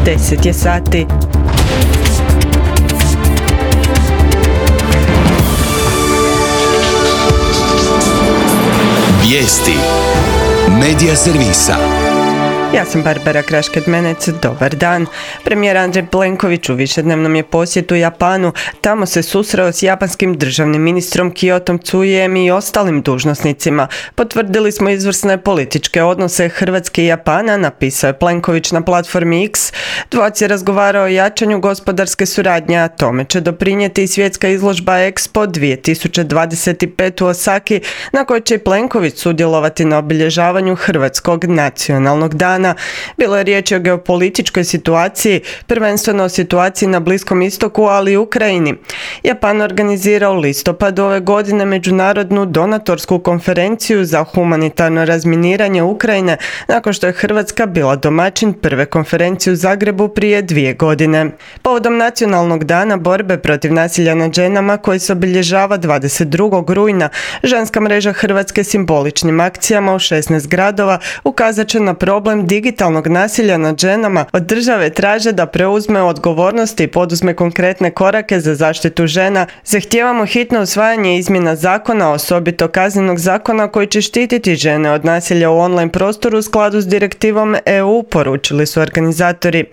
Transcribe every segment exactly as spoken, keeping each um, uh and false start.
deset je sati. Vijesti Medija servisa. Ja sam Barbara Krašked-Menec, dobar dan. Premijer Andrej Plenković u višednevnom je posjetu Japanu. Tamo se susreo s japanskim državnim ministrom Kiyotom Tsujijem i ostalim dužnosnicima. Potvrdili smo izvrsne političke odnose Hrvatske i Japana, napisao je Plenković na platformi X. Dvojac je razgovarao o jačanju gospodarske suradnje, a tome će doprinijeti i svjetska izložba Expo dvije tisuće dvadeset pet u Osaki, na kojoj će i Plenković sudjelovati na obilježavanju Hrvatskog nacionalnog dana. Bilo je riječ o geopolitičkoj situaciji, prvenstveno o situaciji na Bliskom istoku, ali i Ukrajini. Japan organizira u listopadu ove godine međunarodnu donatorsku konferenciju za humanitarno razminiranje Ukrajine, nakon što je Hrvatska bila domaćin prve konferencije u Zagrebu prije dvije godine. Povodom Nacionalnog dana borbe protiv nasilja nad ženama, koji se obilježava dvadeset drugog rujna, ženska mreža Hrvatske simboličnim akcijama u šesnaest gradova ukazat će na problem digitalnog nasilja nad ženama. Od države traže da preuzme odgovornost i poduzme konkretne korake za zaštitu žena. Zahtijevamo hitno usvajanje izmjena zakona, osobito kaznenog zakona koji će štititi žene od nasilja u online prostoru u skladu s direktivom E U, poručili su organizatori.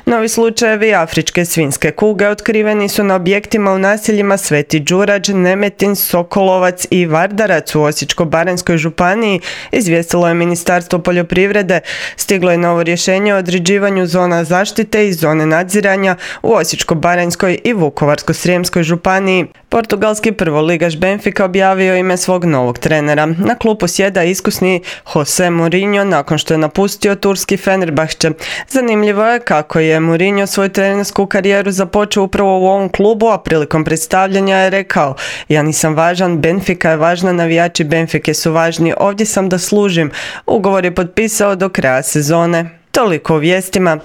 Novi slučajevi afričke svinjske kuge otkriveni su na objektima u naseljima Sveti Đurađ, Nemetin, Sokolovac i Vardarac u Osječko-baranjskoj županiji, izvijestilo je Ministarstvo poljoprivrede. Stiglo je novo rješenje o određivanju zona zaštite i zone nadziranja u Osječko-baranjskoj i Vukovarsko-srijemskoj županiji. Portugalski prvoligaš Benfica objavio ime svog novog trenera. Na klupu sjeda iskusni Jose Mourinho nakon što je napustio turski Fenerbahče. Zanimljivo je kako je Mourinho svoju trenersku karijeru započeo upravo u ovom klubu, a prilikom predstavljanja je rekao: "Ja nisam važan, Benfica je važna, navijači Benfike su važni, ovdje sam da služim." Ugovor je potpisao do kraja sezone. Toliko o vijestima.